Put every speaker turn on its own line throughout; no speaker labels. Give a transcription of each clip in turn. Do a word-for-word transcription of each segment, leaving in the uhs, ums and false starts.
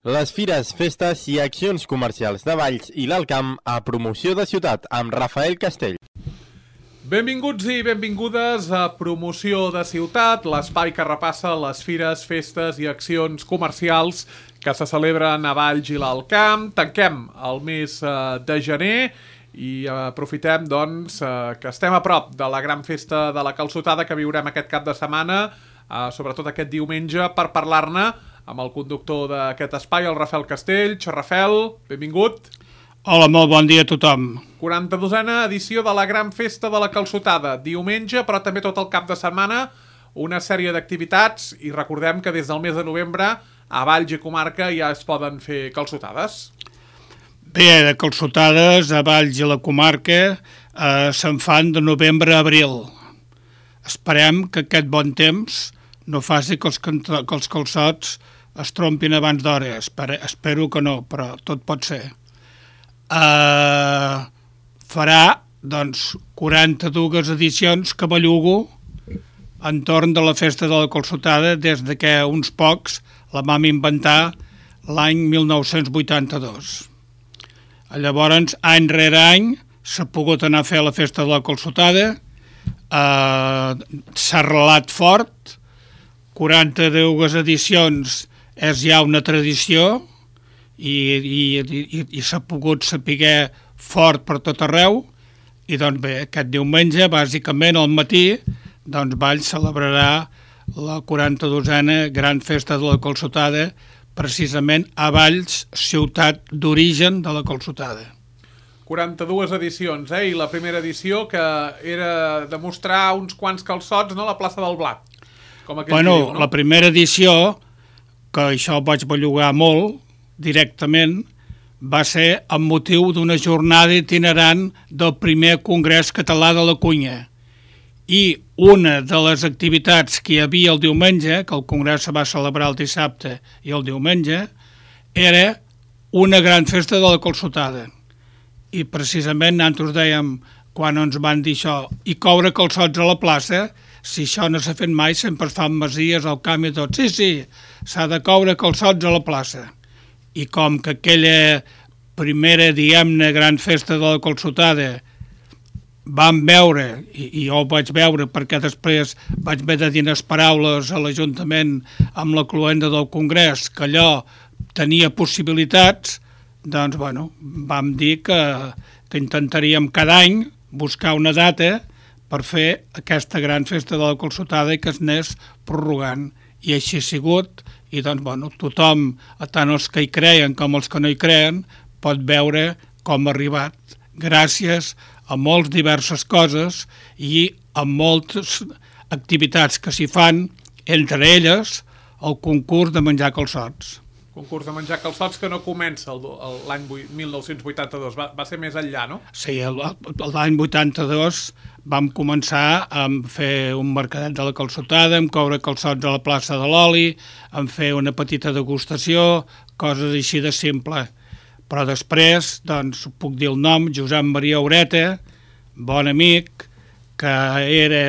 Les fires, festes i accions comercials de Valls i l'Alt Camp a Promoció de Ciutat amb Rafael Castell.
Benvinguts i benvingudes a Promoció de Ciutat, l'espai que repassa les fires, festes i accions comercials que se celebren a Valls i l'Alt Camp. Tanquem el mes de gener i aprofitem doncs, que estem a prop de la gran festa de la Calçotada que viurem aquest cap de setmana, sobretot aquest diumenge, per parlar-ne amb el conductor d'aquest espai, el Rafael Castell. Rafael, benvingut.
Hola, molt bon dia a tothom.
quaranta-dosena edició de la gran festa de la Calçotada. Diumenge, però també tot el cap de setmana, una sèrie d'activitats i recordem que des del mes de novembre a Valls i comarca ja es poden fer calçotades.
Bé, de calçotades a Valls i la comarca eh, se'n fan de novembre a abril. Esperem que aquest bon temps no faci que els, que els calçots es trompin abans d'hora. Espero, espero que no, però tot pot ser. Uh, farà, doncs, quaranta-dues edicions que bellugo entorn de la festa de la Calçotada des de que uns pocs la vam inventar l'any mil nou-cents vuitanta-dos. Llavors, any rere any, s'ha pogut anar a fer la festa de la Calçotada, uh, s'ha arrelat fort, quaranta-dues edicions és ja una tradició i, i, i, i s'ha pogut saber fort per tot arreu i doncs bé, aquest diumenge, bàsicament al matí, doncs Valls celebrarà la quaranta-dosena gran festa de la Calçotada precisament a Valls, ciutat d'origen de la Calçotada.
quaranta-dues edicions, eh? I la primera edició que era demostrar uns quants calçots, no?, a la plaça del Blat. Com
bueno,
diu, no?
La primera edició, que això vaig bellugar molt, directament, va ser amb motiu d'una jornada itinerant del primer Congrés Català de la Cunya. I una de les activitats que hi havia el diumenge, que el Congrés se va celebrar el dissabte i el diumenge, era una gran festa de la Calçotada. I precisament nosaltres dèiem, quan ens van dir això, i coure calçots a la plaça, si això no s'ha fet mai, sempre es fan masies al camp i tot. Sí, sí, s'ha de coure calçots a la plaça. I com que aquella primera, diguem-ne, gran festa de la Calçotada vam veure, i, i jo ho vaig veure perquè després vaig haver de dir unes paraules a l'Ajuntament amb la cloenda del Congrés, que allò tenia possibilitats, doncs, bueno, vam dir que, que intentaríem cada any buscar una data per fer aquesta gran festa de la Calçotada i que es anés prorrogant. I així ha sigut, i doncs, bueno, tothom, tant els que hi creien com els que no hi creien, pot veure com ha arribat, gràcies a moltes diverses coses i a moltes activitats que s'hi fan, entre elles el concurs de menjar calçots.
Concurs de menjar calçots que no comença l'any mil nou-cents vuitanta-dos, va, va ser més enllà, no?
Sí, l'any vuitanta-dos vam començar a fer un mercadet de la Calçotada, amb coure calçots a la plaça de l'Oli, amb fer una petita degustació, coses així de simple. Però després, doncs, puc dir el nom, Josep Maria Ureta, bon amic, que era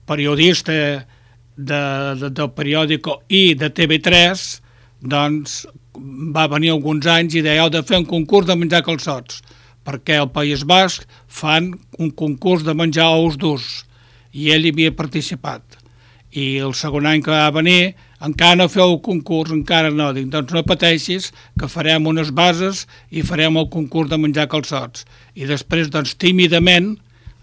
periodista de, de, del periòdico i de T V tres, doncs va venir alguns anys i deia, heu de fer un concurs de menjar calçots, perquè al País Basc fan un concurs de menjar ous durs, i ell hi havia participat. I el segon any que va venir, encara no feu el concurs, encara no, dic, doncs no pateixis, que farem unes bases i farem el concurs de menjar calçots. I després, doncs, tímidament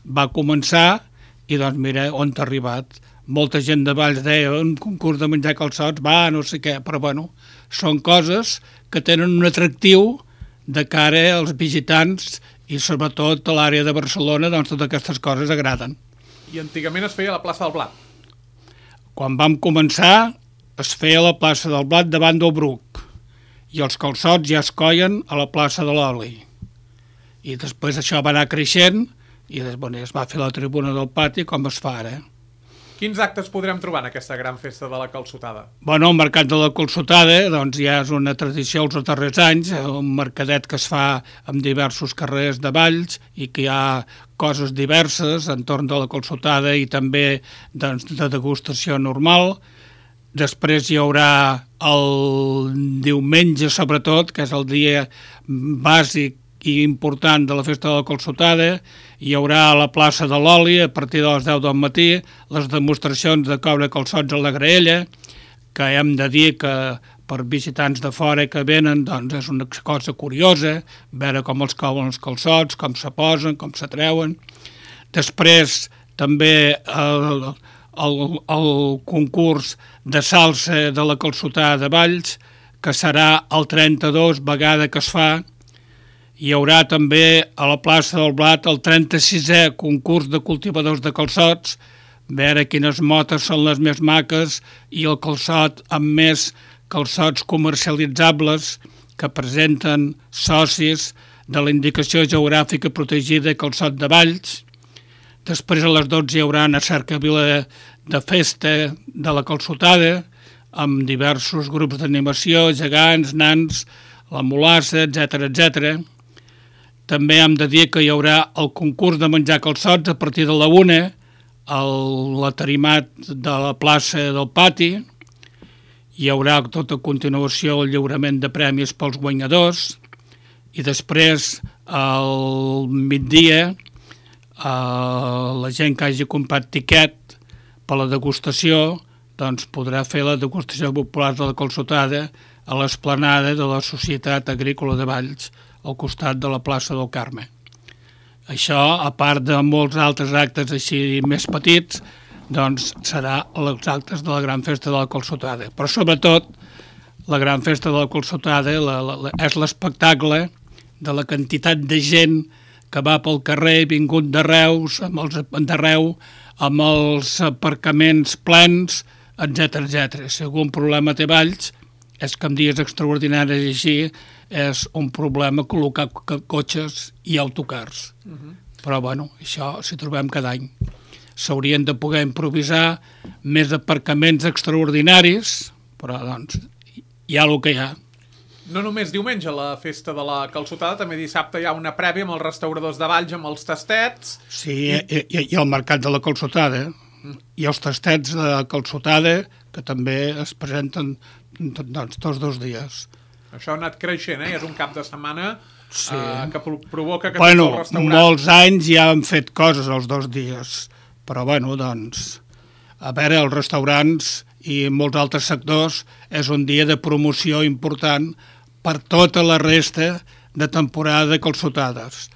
va començar i, doncs, mira on t'ha arribat. Molta gent de Valls deia, un concurs de menjar calçots, va, no sé què, però bueno, són coses que tenen un atractiu de cara als visitants i sobretot a l'àrea de Barcelona, doncs totes aquestes coses agraden.
I antigament es feia a la plaça del Blat.
Quan vam començar es feia a la plaça del Blat davant del Bruc i els calçots ja es coien a la plaça de l'Oli. I després això va anar creixent i bueno, es va fer la tribuna del pati com es fa ara.
Quins actes podrem trobar en aquesta gran festa de la Calçotada?
Bueno, el Mercat de la Calçotada doncs, ja és una tradició els darrers anys, un mercadet que es fa en diversos carrers de Valls i que hi ha coses diverses entorn de la Calçotada i també doncs, de degustació normal. Després hi haurà el diumenge, sobretot, que és el dia bàsic i important de la festa de la calçotada. Hi haurà a la plaça de l'Oli, a partir de les deu del matí, les demostracions de coure calçots a la graella, que hem de dir que per visitants de fora que venen, doncs és una cosa curiosa, veure com els couen els calçots, com se posen, com se treuen. Després també el, el, el concurs de salsa de la calçotada de Valls, que serà el trenta-dos vegada que es fa. Hi haurà també a la plaça del Blat el trenta-sisè concurs de cultivadors de calçots, veure quines motes són les més maques i el calçot amb més calçots comercialitzables que presenten socis de la indicació geogràfica protegida calçot de Valls. Després a les dotze hi haurà una cercavila de festa de la calçotada amb diversos grups d'animació, gegants, nans, la mulassa, etcètera, etcètera. També hem de dir que hi haurà el concurs de menjar calçots a partir de la una, l'atarimat de la plaça del pati. Hi haurà tota a continuació el lliurament de premis pels guanyadors i després al migdia Uh, la gent que hagi comprat tiquet per la degustació doncs podrà fer la degustació popular de la calçotada a l'esplanada de la Societat Agrícola de Valls al costat de la plaça del Carme. Això, a part de molts altres actes així més petits, doncs serà els actes de la gran festa de la calçotada. Però sobretot la gran festa de la calçotada la, la, la, és l'espectacle de la quantitat de gent que va pel carrer, vingut de Reus, amb els d'arreu, amb els aparcaments plens, etcètera, etcètera. Si algun problema té Valls, és que en dies extraordinaris així és un problema col·locar cotxes i autocars. Uh-huh. Però, bueno, això s'hi trobem cada any. S'haurien de poder improvisar més aparcaments extraordinaris, però, doncs, hi ha el que hi ha.
No només diumenge la festa de la calçotada, també dissabte hi ha una prèvia amb els restauradors de Valls, amb els tastets.
Sí, i, i, i el mercat de la calçotada, mm. i els tastets de calçotada, que també es presenten doncs, tots dos dies.
Això ha anat creixent, eh? És un cap de setmana
sí.
eh, que provoca que
bueno,
tots els restaurants...
molts anys ja han fet coses els dos dies, però bueno, doncs, a veure, els restaurants i molts altres sectors és un dia de promoció important per tota la resta de temporada de calçotades.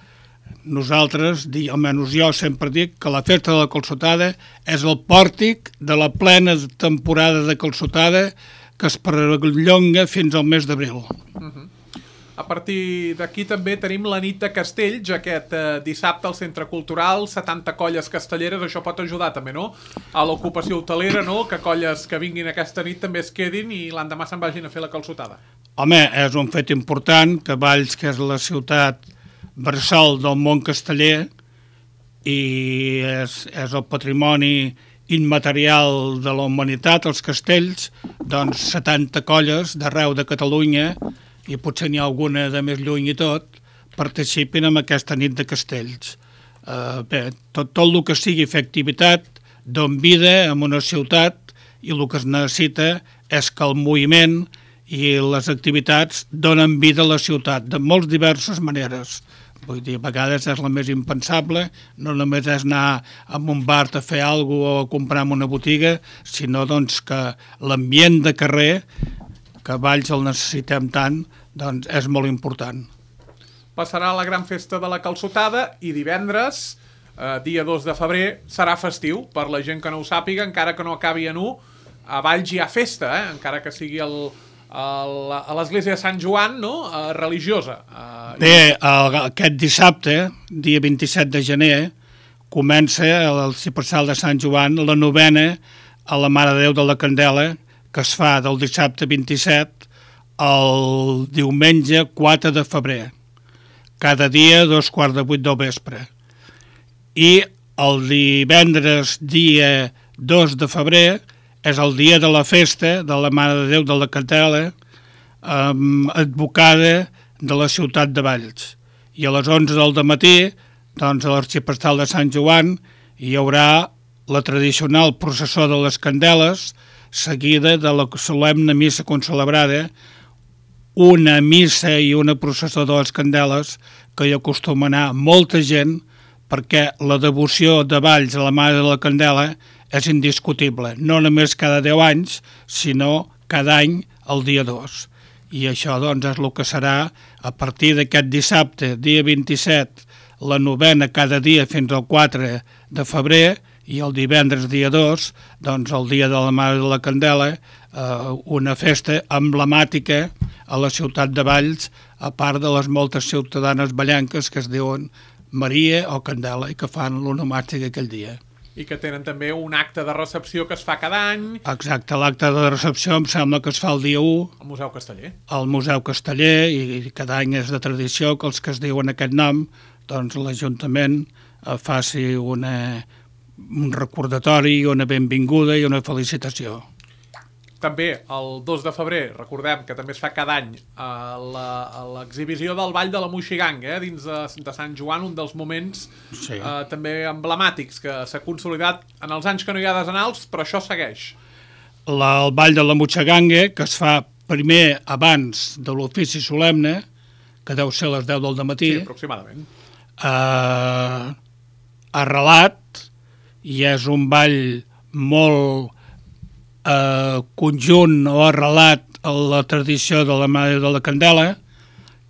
Nosaltres, almenys jo sempre dic que la festa de la calçotada és el pòrtic de la plena temporada de calçotada que es perllonga fins al mes d'abril.
Uh-huh. A partir d'aquí també tenim la nit de Castells, aquest eh, dissabte al Centre Cultural, setanta colles castelleres, això pot ajudar també, no?, a l'ocupació hotelera, no?, que colles que vinguin aquesta nit també es quedin i l'endemà se'n vagin a fer la calçotada.
Home, és un fet important que Valls, que és la ciutat bressol del món casteller i és, és el patrimoni immaterial de la humanitat, els castells, doncs setanta colles d'arreu de Catalunya, i potser n'hi ha alguna de més lluny i tot, participin en aquesta nit de castells. Uh, bé, tot, tot el que sigui fer activitat don vida en una ciutat i el que es necessita és que el moviment i les activitats donen vida a la ciutat de moltes diverses maneres. Vull dir, a vegades és la més impensable, no només és anar a un bar a fer alguna cosa o a comprar en una botiga, sinó doncs, que l'ambient de carrer, que a Valls el necessitem tant, doncs és molt important.
Passarà la gran festa de la calçotada i divendres, eh, dia dos de febrer, serà festiu. Per la gent que no ho sàpiga, encara que no acabi en u, a Valls hi ha festa, eh? Encara que sigui el, el, a l'església de Sant Joan, no?, eh, religiosa. Eh,
Bé, el, aquest dissabte, dia vint-i-set de gener, comença el cipressal de Sant Joan, la novena a la Mare de Déu de la Candela, que es fa del dissabte vint-i-set al diumenge quatre de febrer, cada dia a dos quarts de vuit del vespre. I el divendres dia dos de febrer és el dia de la festa de la Mare de Déu de la Candela, amb advocada de la ciutat de Valls. I a les onze del matí, doncs, a l'arxiprestal de Sant Joan, hi haurà la tradicional processó de les candeles, seguida de la solemne missa concelebrada, una missa i una processó de les candeles que hi acostuma a anar molta gent, perquè la devoció de Valls a la Mare de la Candela és indiscutible, no només cada deu anys, sinó cada any el dia dos. I això doncs és el que serà a partir d'aquest dissabte, dia vint-i-set, la novena cada dia fins al quatre de febrer, i el divendres dia dos, doncs el dia de la Mare de la Candela, eh, una festa emblemàtica a la ciutat de Valls, a part de les moltes ciutadanes ballenques que es diuen Maria o Candela i que fan l'onomàstic aquell dia.
I que tenen també un acte de recepció que es fa cada any.
Exacte, l'acte de recepció em sembla que es fa el dia u.
Al Museu Casteller.
Al Museu Casteller, i cada any és de tradició que els que es diuen aquest nom, doncs l'Ajuntament eh, faci una, un recordatori, una benvinguda i una felicitació.
També el dos de febrer, recordem que també es fa cada any eh, l'exhibició del Ball de la Moixiganga, eh, dins de, de Sant Joan, un dels moments sí. eh, també emblemàtics que s'ha consolidat en els anys que no hi ha desenals, però això segueix.
La, el Ball de la Moixiganga, que es fa primer abans de l'ofici solemne, que deu ser a les deu del dematí,
sí, aproximadament.
Eh, arrelat, i és un ball molt eh, conjunt o arrelat a la tradició de la Mare de la Candela,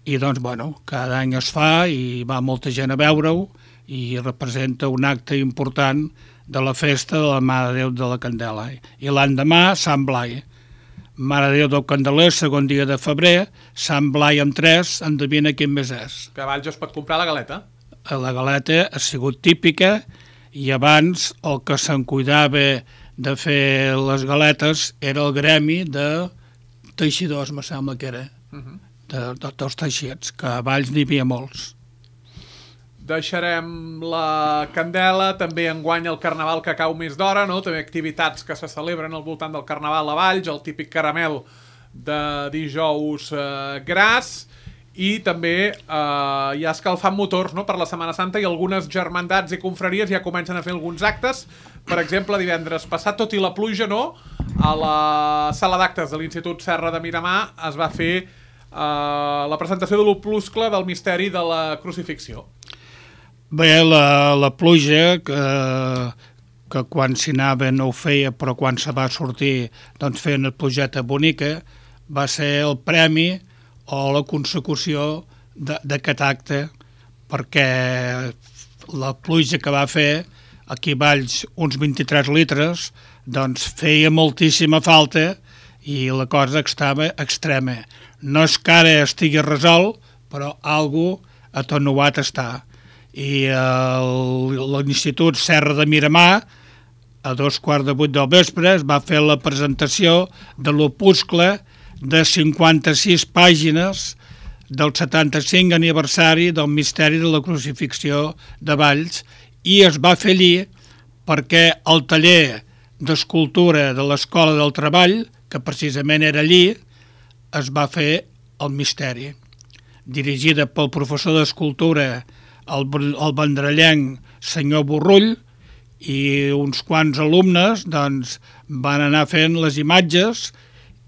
i doncs, bueno, cada any es fa i va molta gent a veure-ho i representa un acte important de la festa de la Mare de Déu de la Candela. I l'endemà, Sant Blai. Mare de Déu del Candeler, segon dia de febrer, Sant Blai amb tres, endevina quin més és.
Que a Valls es pot comprar la galeta.
La galeta ha sigut típica, i abans el que se'n cuidava de fer les galetes era el gremi de teixidors, me sembla que era, uh-huh. de, de, dels teixits, que a Valls n'hi havia molts.
Deixarem la candela, també enguany el Carnaval que cau més d'hora, no? També activitats que se celebren al voltant del Carnaval a Valls, el típic caramel de dijous eh, gras, i també eh, hi ha escalfant motors, no?, per la Setmana Santa, i algunes germandats i confraries ja comencen a fer alguns actes. Per exemple, divendres passat, tot i la pluja, no?, a la sala d'actes de l'Institut Serra de Miramar es va fer eh, la presentació de l'opuscle del misteri de la crucifixió.
Bé, la, la pluja, que, que quan s'hi anava no ho feia, però quan se va sortir doncs feia una plujeta bonica, va ser el premi o la consecució d'aquest acte, perquè la pluja que va fer, aquí a Valls uns vint-i-tres litres, doncs feia moltíssima falta i la cosa estava extrema. No és que ara estigui resolt, però algú atenuat està. I l'Institut Serra de Miramar, a dos quarts de vuit del vespre, es va fer la presentació de l'opuscle de cinquanta-sis pàgines del setanta-cinc aniversari del misteri de la crucifixió de Valls, i es va fer allí perquè el taller d'escultura de l'Escola del Treball, que precisament era allí, es va fer el misteri, dirigida pel professor d'escultura, el, el vendrellenc senyor Borrull, i uns quants alumnes doncs, van anar fent les imatges,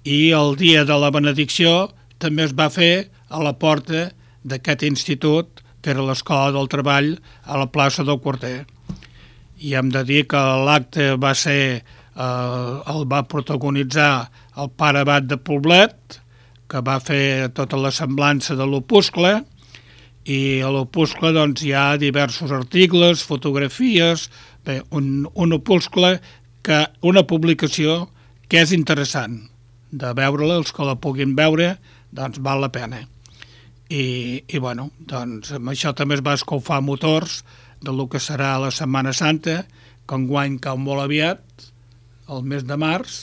i el dia de la benedicció també es va fer a la porta d'aquest institut, que era l'Escola del Treball, a la plaça del Quarter. I hem de dir que l'acte va ser, eh, el va protagonitzar el pare abat de Poblet, que va fer tota la semblança de l'opuscle, i a l'opuscle doncs, hi ha diversos articles, fotografies, bé, un, un opuscle, que, una publicació que és interessant de veure-la, els que la puguin veure, doncs val la pena. I, i bueno, doncs amb això també es va escalfar motors del que serà la Setmana Santa, que enguany cau molt aviat, el mes de març,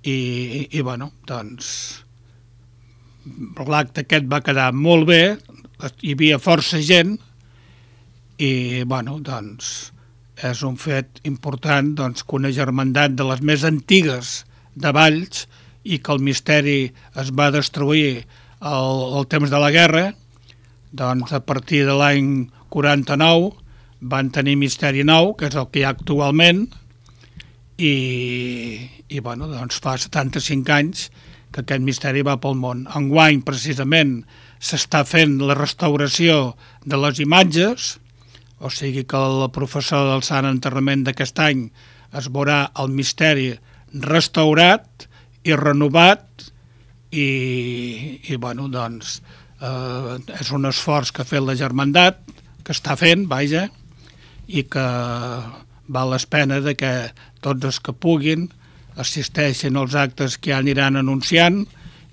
i, i, i bueno, doncs l'acte aquest va quedar molt bé, hi havia força gent, i bueno, doncs és un fet important doncs, que una germandat de les més antigues de Valls, i que el misteri es va destruir al, al temps de la guerra, doncs a partir de l'any quaranta-nou van tenir misteri nou, que és el que hi ha actualment, i, i bueno, doncs fa setanta-cinc anys que aquest misteri va pel món. Enguany, precisament, s'està fent la restauració de les imatges, o sigui que el professor del Sant Enterrament d'aquest any es veurà el misteri restaurat i renovat i, i bueno, doncs, eh, és un esforç que ha fet la Germandat, que està fent, vaja, i que val la pena de que tots els que puguin assisteixin als actes que ja aniran anunciant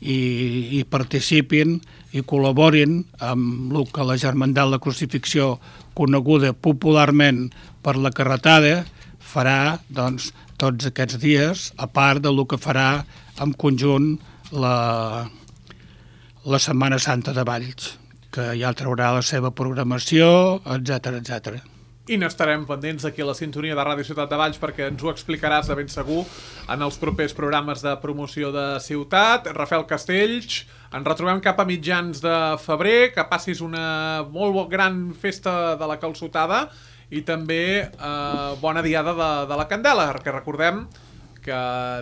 i, i participin i col·laborin amb el que la Germandat la Crucifixió, coneguda popularment per la carretada, farà doncs, tots aquests dies, a part del que farà en conjunt la, la Setmana Santa de Valls, que ja traurà la seva programació, etcètera, etcètera.
I n'estarem pendents aquí a la sintonia de Ràdio Ciutat de Valls perquè ens ho explicaràs de ben segur en els propers programes de promoció de ciutat. Rafael Castells, ens retrobem cap a mitjans de febrer, que passis una molt gran festa de la calçotada i també eh, bona diada de, de la Candela, perquè recordem que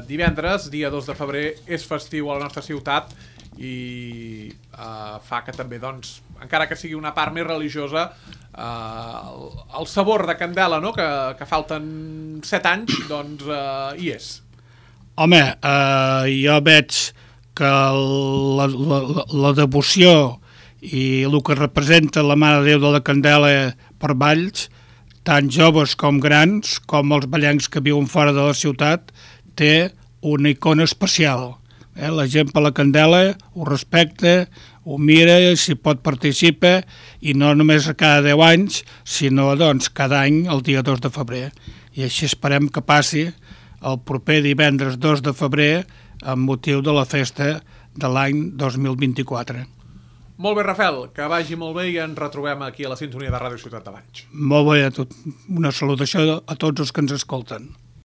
divendres, dia dos de febrer, és festiu a la nostra ciutat i eh, fa que també, doncs, encara que sigui una part més religiosa, eh, el, el sabor de Candela, no?, que, que falten set anys, doncs eh, hi és.
Home, eh, jo veig que la, la, la devoció i el que representa la Mare de Déu de la Candela per Valls, tant joves com grans, com els ballencs que viuen fora de la ciutat, té una icona especial. Eh? La gent per la Candela ho respecta, ho mira, si pot participa, i no només a cada deu anys, sinó doncs, cada any el dia dos de febrer. I així esperem que passi el proper divendres dos de febrer amb motiu de la festa de l'any dos mil vint-i-quatre.
Molt bé, Rafael, que vagi molt bé i ens retrobem aquí a la sintonia de Ràdio Ciutat de Valls.
Molt bé, a tot. Una salutació a tots els que ens escolten.